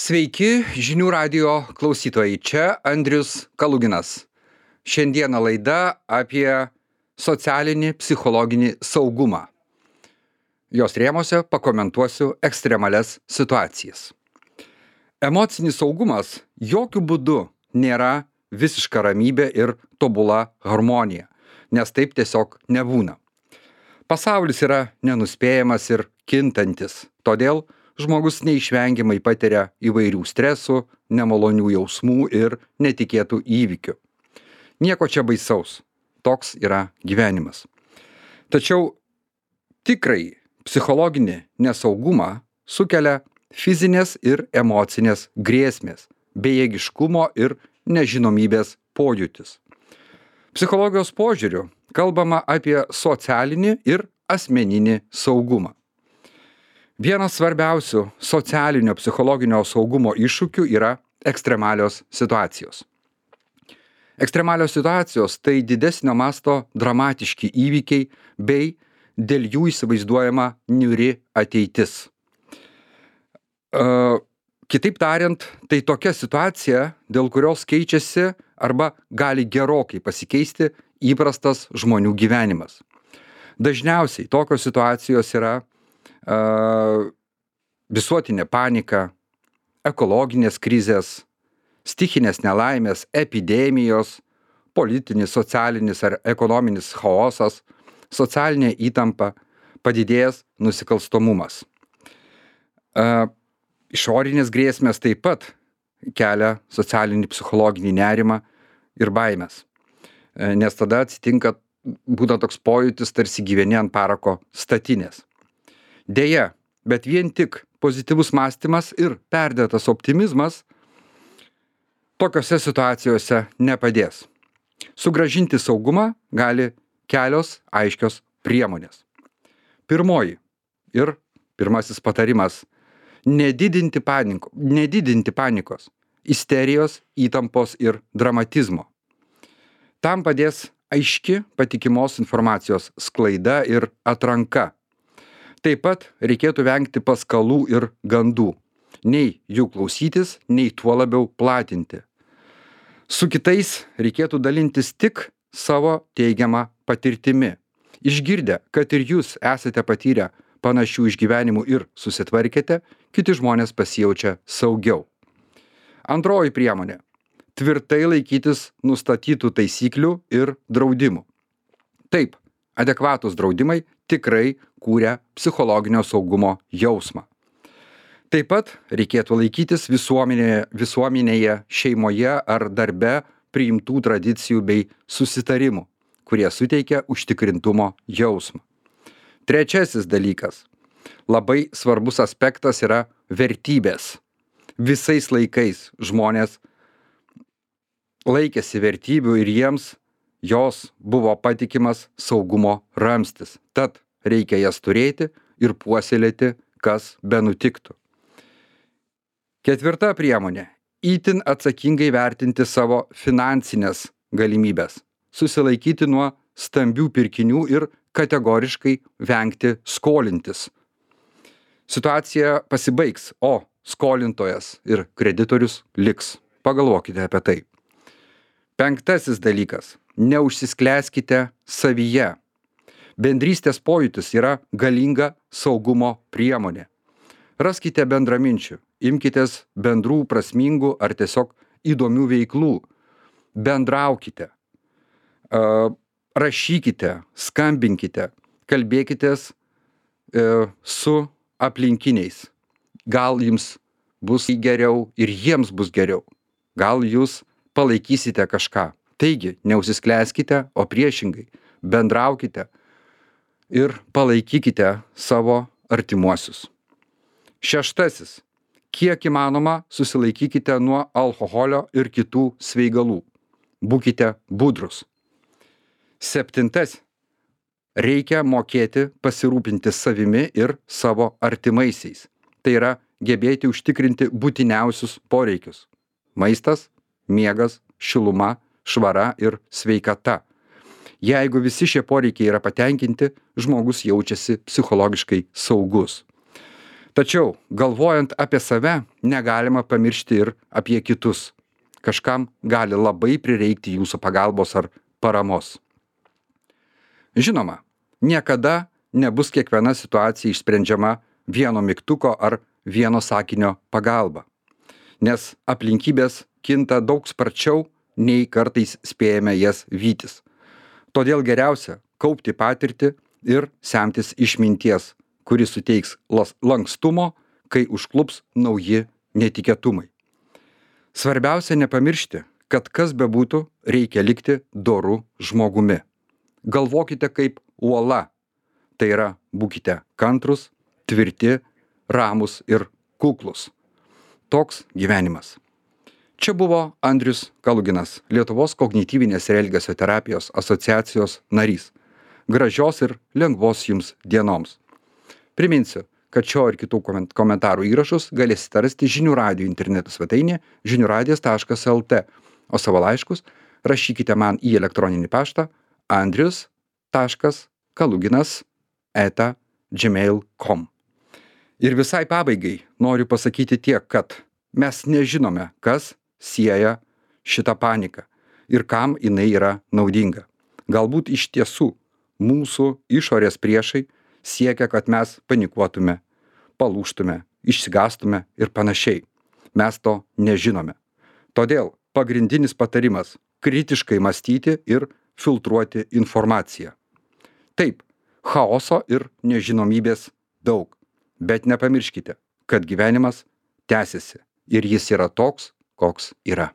Sveiki, žinių radijo klausytojai. Čia Andrius Kaluginas. Šiandieną laida apie socialinį psichologinį saugumą. Jos rėmose pakomentuosiu ekstremalias situacijas. Emocinis saugumas jokių būdų nėra visiška ramybė ir tobula harmonija, nes taip tiesiog nebūna. Pasaulis yra nenuspėjamas ir kintantis, todėl žmogus neišvengiamai patiria įvairių stresų, nemalonių jausmų ir netikėtų įvykių. Nieko čia baisaus, toks yra gyvenimas. Tačiau tikrai psichologinį nesaugumą sukelia fizinės ir emocinės grėsmės, bejėgiškumo ir nežinomybės pojūtis. Psichologijos požiūriu kalbama apie socialinį ir asmeninį saugumą. Vienas svarbiausių socialinio psichologinio saugumo iššūkių yra ekstremalios situacijos. Ekstremalios situacijos tai didesnio masto dramatiški įvykiai bei dėl jų įsivaizduojama niūri ateitis. Kitaip tariant, tai tokia situacija, dėl kurios keičiasi arba gali gerokai pasikeisti įprastas žmonių gyvenimas. Dažniausiai tokios situacijos yra visuotinė panika, ekologinės krizės, stichinės nelaimės, epidemijos, politinis, socialinis ar ekonominis chaosas, socialinė įtampa, padidėjęs nusikalstamumas. Išorinės grėsmės taip pat kelia socialinį psichologinį nerimą ir baimės, nes tada atsitinka būna toks pojūtis, tarsi gyveni ant parako statinės. Deja, bet vien tik pozityvus mąstymas ir perdėtas optimizmas tokiose situacijose nepadės. Sugrąžinti saugumą gali kelios aiškios priemonės. Pirmoji ir pirmasis patarimas – nedidinti panikos, isterijos, įtampos ir dramatizmo. Tam padės aiški patikimos informacijos sklaida ir atranka. Taip pat reikėtų vengti paskalų ir gandų, nei jų klausytis, nei tuo labiau platinti. Su kitais reikėtų dalintis tik savo teigiamą patirtimi. Išgirdę, kad ir jūs esate patyrę panašių išgyvenimų ir susitvarkėte, kiti žmonės pasijaučia saugiau. Antroji priemonė – tvirtai laikytis nustatytų taisyklių ir draudimų. Taip, adekvatūs draudimai tikrai kūria psichologinio saugumo jausmą. Taip pat reikėtų laikytis visuomenėje, šeimoje ar darbe priimtų tradicijų bei susitarimų, kurie suteikia užtikrintumo jausmą. Trečiasis dalykas. Labai svarbus aspektas yra vertybės. Visais laikais žmonės laikėsi vertybių ir jiems jos buvo patikimas saugumo ramstis. Tad reikia jas turėti ir puoselėti, kas benutiktų. Ketvirta priemonė – itin atsakingai vertinti savo finansinės galimybės, susilaikyti nuo stambių pirkinių ir kategoriškai vengti skolintis. Situacija pasibaigs, o skolintojas ir kreditorius liks. Pagalvokite apie tai. Penktasis dalykas – neužsisklęskite savyje. Bendrystės pojūtis yra galinga saugumo priemonė. Raskite bendraminčių, imkitės bendrų prasmingų ar tiesiog įdomių veiklų. Bendraukite, rašykite, skambinkite, kalbėkitės su aplinkiniais. Gal jums bus geriau ir jiems bus geriau. Gal jūs palaikysite kažką. Taigi, neužsisklęskite, o priešingai, bendraukite ir palaikykite savo artimuosius. Šeštasis. Kiek įmanoma susilaikykite nuo alkoholio ir kitų svaigalų. Būkite budrus. Septintas. Reikia mokėti pasirūpinti savimi ir savo artimaisiais. Tai yra gebėti užtikrinti būtiniausius poreikius. Maistas, miegas, šiluma, švara ir sveikata. Jeigu visi šie poreikiai yra patenkinti, žmogus jaučiasi psichologiškai saugus. Tačiau, galvojant apie save, negalima pamiršti ir apie kitus. Kažkam gali labai prireikti jūsų pagalbos ar paramos. Žinoma, niekada nebus kiekviena situacija išsprendžiama vieno mygtuko ar vieno sakinio pagalba, nes aplinkybės kinta daug sparčiau, nei kartais spėjame jas vytis. Todėl geriausia kaupti patirtį ir semtis išminties, kuri suteiks lankstumo, kai užklups nauji netikėtumai. Svarbiausia nepamiršti, kad kas bebūtų, reikia likti doru žmogumi. Galvokite kaip uola. Tai yra, būkite kantrus, tvirti, ramus ir kuklus. Toks gyvenimas. Čia buvo Andrius Kaluginas, Lietuvos kognityvinės ir elgesio terapijos asociacijos narys. Gražios ir lengvos jums dienoms. Priminsiu, kad šio ir kitų komentarų įrašus galėsite rasti Žinių radijo interneto svetainėje žiniuradijas.lt, o savo laiškus rašykite man į elektroninį paštą andrius.kaluginas@gmail.com. Ir visai pabaigai noriu pasakyti tiek, kad mes nežinome, kas sieja šitą paniką ir kam jinai yra naudinga. Galbūt iš tiesų mūsų išorės priešai siekia, kad mes panikuotume, palūžtume, išsigąstume ir panašiai. Mes to nežinome. Todėl pagrindinis patarimas - kritiškai mąstyti ir filtruoti informaciją. Taip, chaoso ir nežinomybės daug, bet nepamirškite, kad gyvenimas tęsiasi ir jis yra toks, koks yra.